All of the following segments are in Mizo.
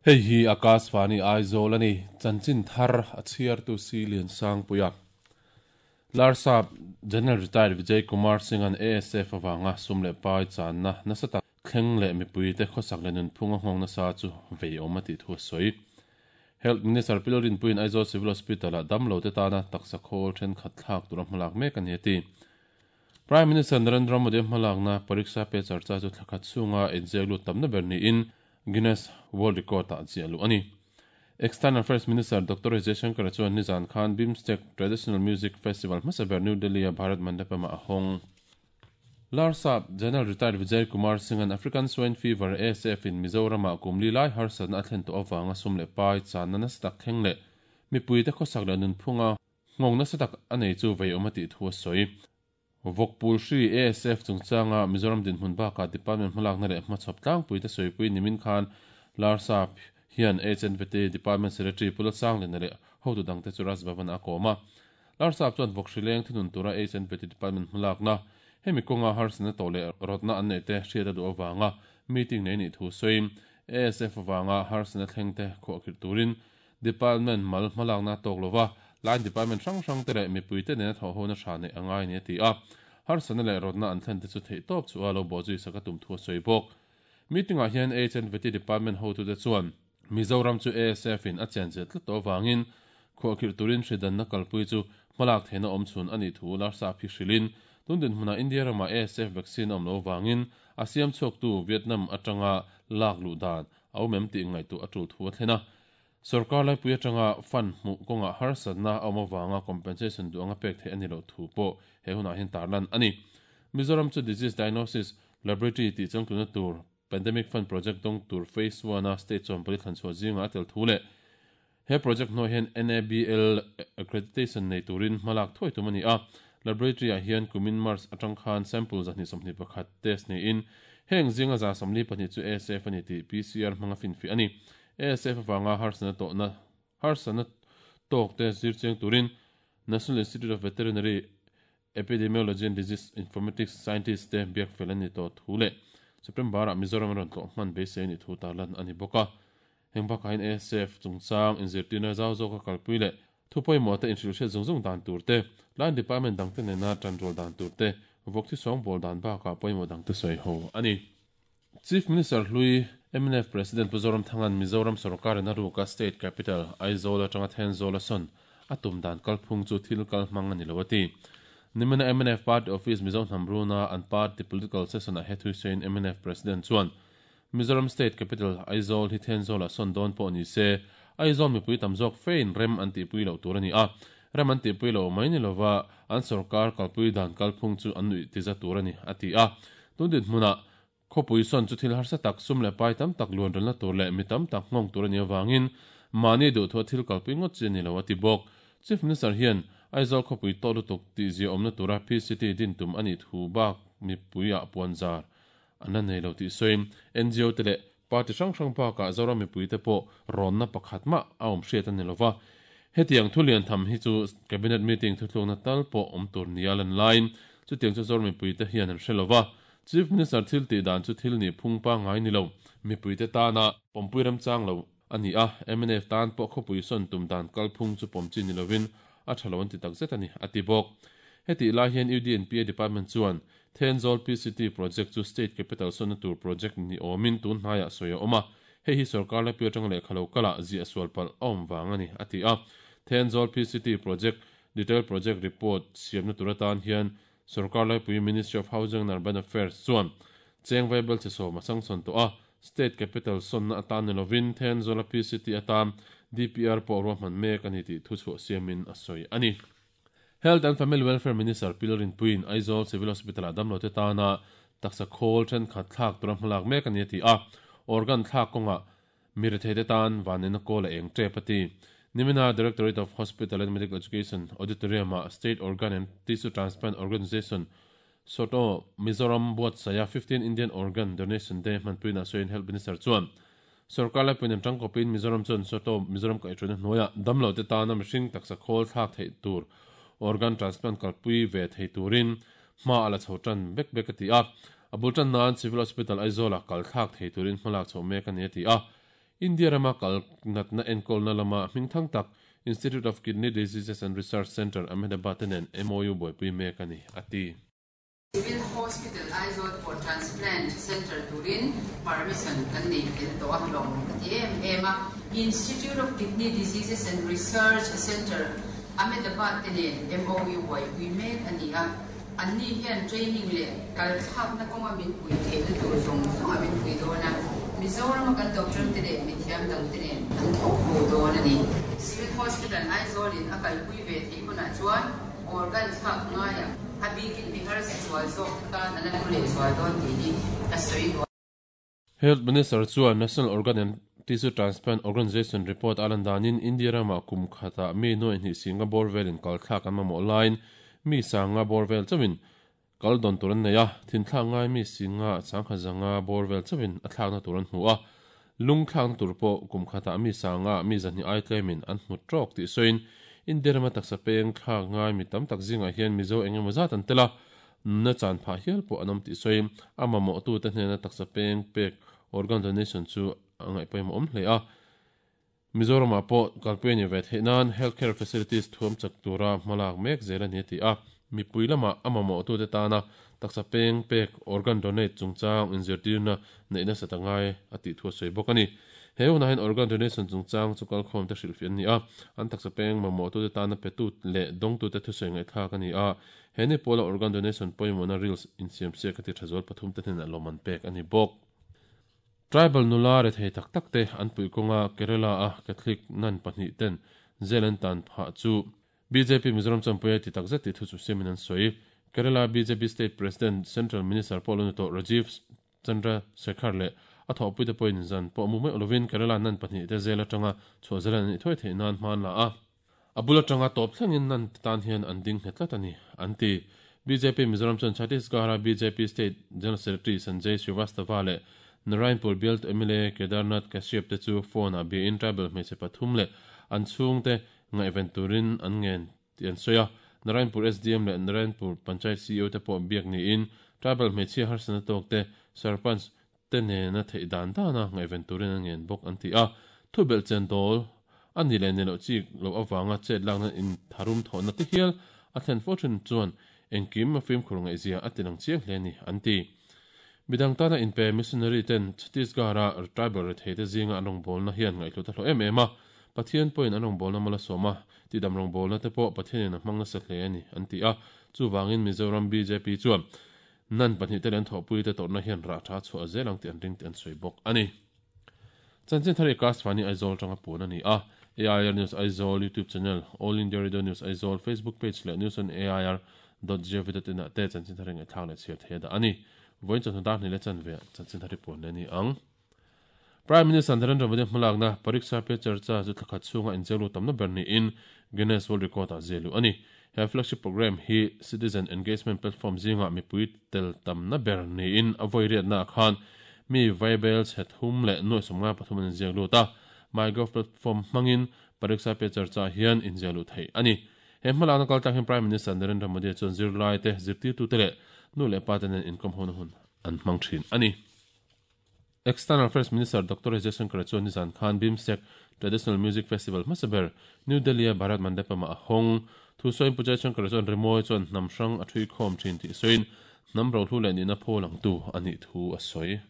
Hei hi Akashvani Aizawl a ni. Chanchin thar a chhiartu Si Liansangpuia. Larsap General Retired Vijay Kumar Singh-a'n ASF avanga sum leh pai channa nasa tak thleng leh mipuite khawsak leh nunphung a nghawng nasa chu vei awm a tih thu a sawi. Health Minister Pi Lalrinpuiin Aizawl Civil Hospital-ah damlote tana taksa khawl thenkhat thlak tura hmalak mek a ni a ti. Prime Minister Narendra Modi-a hmalakna Pariksha Pe Charcha chu thla khat chhunga inziak lut tamna ber niin Guinness World Record-ah ziah luh a ni. External Affairs Minister Doctor S Jaishankar chuan nizan khan BIMSTEC Traditional Music Festival hmasa ber New Delhi-a Bharat Mandapam-ah a hawng. Larsap General Retired Vijay Kumar Singh-a'n African Swine Fever, ASF, in Mizoram-ah kum li lai harsatna a thlen tawh avanga sum leh pai channa nasa tak thleng leh mipuite khawsak leh nunphunga nghawng nasa tak a nei chu vei awm a tih thu a sawi. Vawkpul hri, ASF, chungchanga Mizoram dinhmun bakah department hmalakna leh hmachhawp tlangpuite sawipui nimin khan Larsap hian HNVT Department Secretary Pu Lalsanglina leh hotu dangte chu Raj Bhavan-ah a kawm a. Larsap chuan vawk hri leng thunun tura HNVT Department hmalakna, hemi kawnga harsatna tawh leh rawtna an neih te hriat a duh avanga meeting nei nih thu sawiin ASF avanga harsatna thlengte khuahkhirh turin Department mal hmalakna a tawk lova, line department hrang hrang te leh mipuite nena thawhhona tha neih a ngai a ni a ti a. Harsatna leh rawtna an thlen te chu theih tawp chu a lo bawhzui sak a tum thu a sawi bawk. Meeting ah hian HNVT department hotute chuan Mizoram chu ASF in a chenchilh tlat tawh avangin khuahkhirh turin hridanna kalpui chu hmalak theihna awm chhun a nih thu Larsa phi hrilhin tun dinhmunah India ramah ASF vaccine a awm loh avangin a siam chhuaktu Vietnam atanga lak luh dan a awm em tih ngaihtuah a tul thu a thlen a. Sorkar laipui atanga fund hmuh kawngah harsatna a awm avanga compensation duh anga pek theih a ni loh thu pawh he hunah hian tarlan a ni. Mizoram chu Disease Diagnosis Laboratory tih changtluna tur Pandemic Fund Project dawng tur Phase One-a state chuan pali thlan chhuah zingah a tel thu leh he project hnuaiah hian NABL accreditation nei turin hmalak thuai tum a ni a. Laboratory-ah hian kumin March atang khan sample 221 test niin heng zinga 42 chu ASF a ni tih PCR hmanga finfiah a ni. ASF avanga harsatna tawhna harsatna tawkte zir chiang turin National Institute of Veterinary Epidemiology and Disease Informatics scientist te biak fel a ni tawh thu leh September-ah Mizoram a rawn tlawh hman beisei a nih thu tarlan a ni bawk a. Heng bakah hian ASF chungchang inzirtirna zau zawka kalpui leh thu pawimawh te inhrilhhriat zung zung dan tur te, line department dangte nena tanrual dan tur te, vawk thi sawngbawl dan bakah pawimawh dangte sawi ho a ni. Chief Minister hlui mnf President Pu Zoramthanga'n Mizoram sorkarin a ruka State Capital, Aizawl atanga Thenzawl a sawn a tum dan kalphung chu thil kal hmang a ni lo a ti. Nimina mnf Party Office Mizo hnam runa an party political session-ah he thui sawiin mnf President chuan Mizoram State Capital, Aizawl hi Thenzawlah sawn dawn pawh ni se, Aizawl mipui tam zawk fein rem an tihpui loh tur a ni a. Rem an tihpui loh mai ni lova an sorkar kalpui dan kalphung chu an nuih tiza tur a ni, a ti a. Tun dinhmunah Khawpui sawn chu thil harsa tak, sum leh pai tam tak luanrelna tur leh mi tam tak nghawng tur a nih avangin mahni duhthua thil kalpui ngawt chi a ni lo, a ti bawk. Chief Minister hian Aizawl khawpui tawh lutuk tihzia awmna tura PCT din tum a nih thu bak mipuiah puanzar an la nei lo tih sawiin NGO te leh party hrang hrang bakah Zoram mipuite pawh rawnna pakhat mah a awm hriat a ni lova. Hetiang thu lian tham hi chu Cabinet meeting thuthlukna tal pawh awm tur nia lan laiin chutiang chu Zoram mipuite hian an hre lova. Chief Minister thil tih dan chu thil nih phung pangngai ni lo, mipuite tana pawmpui remchang lo a ni a, mnf tan pawh khawpui sawn tum dan kalphung chu pawm chi ni lovin a tha lo an ti takzet a ni, a ti bawk. Hetih lai hian UDNPA Department chuan Thenzawl PCT project chu State Capital sawnna tur project ni awmin tun hnaiah sawi a awm a, hei hi sorkar laipui atanga lehkha lo kalah ziah sual palh a awm vang a ni, a ti a. Thenzawl PCT project detail project report siamna tur atan hian Sorkar laipui Ministry of Housing and Urban Affairs chuan cheng vaibel che sawm a sangsawn tawh a, State Capital sawnna atan ni lovin Thenzawl-a PCT atan DPR pawh ruahman mek a ni tih thuchhuah siamin a sawi a ni. Health and Family Welfare Minister Pi Lalrinpuiin Aizawl Civil Hospital-ah damlote tana taksa khawl thenkhat thlak tura hmalak mek a ni a ti a, organ thlak kawngah Mi retheite tan vanneihna kawl a eng tep a ti. Nimina Directorate of Hospital and Medical Education Auditorium-ah State Organ and Tissue Transplant Organisation, SOTO, Mizoram buatsaiha 15 Indian Organ Donation Day hmanpuiin a sawiin Health Minister chuan Sorkar laipuiin an tangkawpin Mizoram chuan SOTO Mizoram kaihhruaina hnuaiah damlote tana mihring taksa khawl thlak theih tur organ transplant kalpui ve thei turin hma a la chho tan bek bek a ti a. A bul tan nan Civil Hospital Aizawl-ah kal thlak thei turin hmalak chhoh mek a ni a ti a. India rama kal natna enkawlna lama hmingthang tak Institute of Kidney Diseases and Research Centre, Ahmedabad te nen MOU buaipui mek a ni, a ti. Civil Hospital Aizawl pawh Transplant Centre turin permission kan nei fel tawh a, lawmawm ka ti em em a. Institute of Kidney Diseases and Research Centre, Ahmedabad te nen MOU buaipui mek a ni a. Anni hian training leh kalthlakna kawnga min pui theihna tur zawng zawng a min pui dawn a, Mizorama kan doctor te leh mithiam dangte nen an thawk ho dawn a ni. Civil Hospital Aizawl in a kalpui ve theih hunah chuan organ thlak ngaiah a bikin mi harsa zual zawk te tan a la hlu leh zual dawn tih hi ka sawi duh a. Health Minister chuan National Organ and Tissue Transplant Organisation report a lan danin India ramah kum khatah mi nuaih hnih singa bawr velin kal thlak an mamawh laiin mi sanga bawr vel chauhin kal dawn tur an nei a, thinthlak ngai mi singa sangkhat zanga bawr vel chauhin a thlakna tur an hmu a, lung thlakna tur pawh kum khatah mi sanga mi zahnih ai tlemin an hmu tawk tih sawiin India rama taksa peng thlak ngai mi tam tak zingah hian Mizo eng emaw zat an tel a, Nunna chan phah hial pawh an awm tih sawi, a mamawhtute hnena taksa peng pek, organ donation, chu a ngaihpawimawh awm hle a. Mizoramah pawh kalpui a ni ve theih nan health care facilities thuam chak tura hmalak mek zel a ni a ti a. Mipui lamah a mamawhtute tana taksa peng pek, organ donate, chungchang inzirtirna neih nasat a ngai a tih thu a sawi bawk a ni. He hunah hian organ donation chungchang chu kalkhawmte hrilhfiah an ni a, an taksa peng mamawhtute tana petu leh dawngtute thusawi ngaihthlak a ni a. He ni pawla organ donation pawimawhna reels insiam siak a ti tha zual pathum te hnenah lawm an pek a ni bawk. Tribal nula rethei tak tak te an puih kawnga Kerala a Catholic nun pahnih ten jail an tan phah chu bjp Mizoram champui a ti tak zet tih thu chu siamin an sawi. Kerala bjp State President Central Minister pawh lo ni tawh Rajiv Chandra Shekhar leh a thawhpuite pawhin zan pawh mu meuh lovin Kerala nun pahnih te jail atanga chhuah zel an nih thuai theih nan hma an la a. A bul atanga tawp thlengin nan tan hian an ding nghet tlat a ni, an ti. Bjp Mizoram chuan Chhattisgarh-a bjp State General Secretary Sanjay Srivastava leh Narayanpur bialtu mla Kedarnath Kashyap te chu phone-ah biain tribal hmeichhe pathum leh an chhungte ngaihven turin an ngen tih an sawi a. Narayanpur SDM leh Narayanpur Panchayat CEO te pawh biak niin tribal hmeichhia harsatna tawkte Sarpanch te nena theih dan dana ngaihven turin an ngen bawk an ti a. Thubelh chen dawl a ni leh ni loh chik loh avanga chet lakna intharum thawhna te hial a thlen fo thin chuan engkim a fimkhur ngaihzia a tilang chiang hle a ni an ti. Midang tana inpe missionary ten Chhattisgarh-a tribal rethei te zinga an rawngbawlna hian ngaihhlut a hlawh em em a, Pathian pawhin an rawngbawlna mal a sawm a, tihdam rawngbawlna te pawh Pathianin a hmang nasa hle a ni an ti a. Chuvangin Mizoram bjp chuan Nan pahnihte leh an thawhpuite tawrhna hian rah tha chhuah zel ang tih an ring tih an sawi bawk a ni. Chanchin thar i Kashvani Aizawl atanga puan a ni a, AIR News Aizawl YouTube channel, All India Radio News Aizawl Facebook page leh News on AIR dot gov dot in ah te chanchin thar i ngaihthlak leh chhiar thei a dah a ni. Vawiin chawhnu dar hnih leh chanve ah chanchin thar i puan leh a ni ang. Prime Minister Narendra Modi hmalakna Pariksha Pe Charcha chu thla khat chhunga inzirlu tamna ber niin Guinness World Record ah ziah luh a ni. He flagship programme hi Citizen Engagement Platform zingah mipui tel tamna ber niin a vawi riatnaah khan mi vaibel chhe thum leh nuaih sawmngai pathum an inziak lut a. MyGov platform hmangin Pariksha Pe Charcha hian inziah luh theih a ni. He hmalakna kaltlang hian Prime Minister Narendra Modi chuan zirlaite, zirtirtute leh nu leh pate nen inkawm hona hun an hmang thin a ni. External Affairs Minister Doctor S Jaishankar chuan nizan khan BIMSTEC Traditional Music Festival hmasa ber New Delhi-a Bharat Mandapam-ah a hawng. Thu sawiin Pu Jaishankar chuan rimawi chuan hnam hrang a thui khawm thin tih sawiin hnam rohlu leh nihna phaw langtu a nih thu a sawi.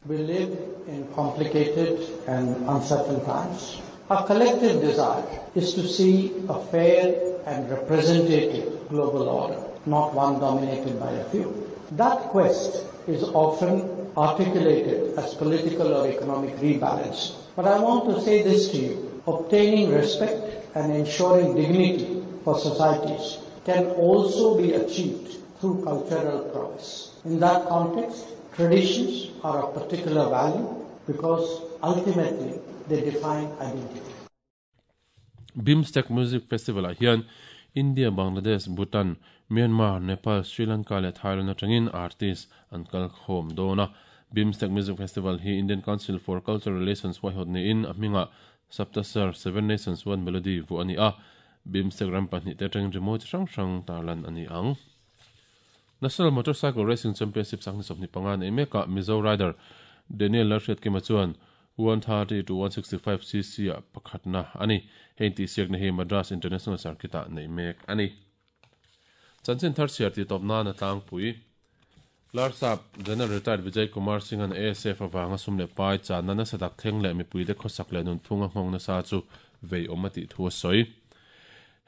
We live in complicated and uncertain times. Our collective desire is to see a fair and representative global order, not one dominated by a few. That quest is often articulated as political or economic rebalance. But I want to say this to you obtaining respect and ensuring dignity for societies can also be achieved through cultural prowess. In that context, traditions are of particular value because ultimately they define identity. BIMSTEC Music Festival-ah hian India, Bangladesh, Bhutan, Myanmar, Nepal, Sri Lanka leh Thailand atangin artist an kal khawm dawn a. BIMSTEC Music Festival hi Indian Council for Cultural Relations huaihawt niin a hmingah Saptasar, Seven Nations One Melody vuah a ni a. BIMSTEC ram pahnihte atangin rimawi chi hrang hrang tarlan a ni ang. National Motorcycle Racing Championship 2025 nei mekah Mizo rider Daniel Lalhriatkima chuan 130 to 165 cc ah pakhatna a ni. Hei intihsiakna hi Madras International Circuit ah neih mek a ni. Chanchin thar chhiar tih tawp nan a tlangpui. Larsap General Retired Vijay Kumar Singh-a'n ASF avanga sum leh pai channa nasa tak thleng leh mipuite khawsak leh nunphunga nghawng nasa chu vei awm a tih thu a sawi.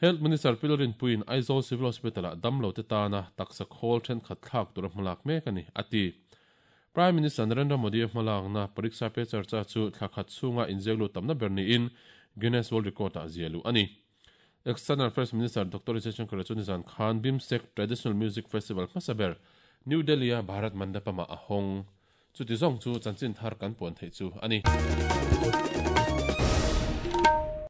Health Minister Pi Lalrinpuiin Aizawl Civil Hospital-ah damlote tana taksa khawl thenkhat thlak tura hmalak mek a ni, a ti. Prime Minister Narendra Modi-a hmalakna Pariksha Pe Charcha chu thla khat chhunga inziaklut tamna ber niin Guinness World Record-ah zia luh a ni. External Affairs Minister Doctor Jaishankar chu nizan khan BIMSTEC Traditional Music Festival hmasa ber New Delhi-a Bharat Mandapam-ah a hawng. Chuti zawng chu chanchin thar kan puan theih chu a ni.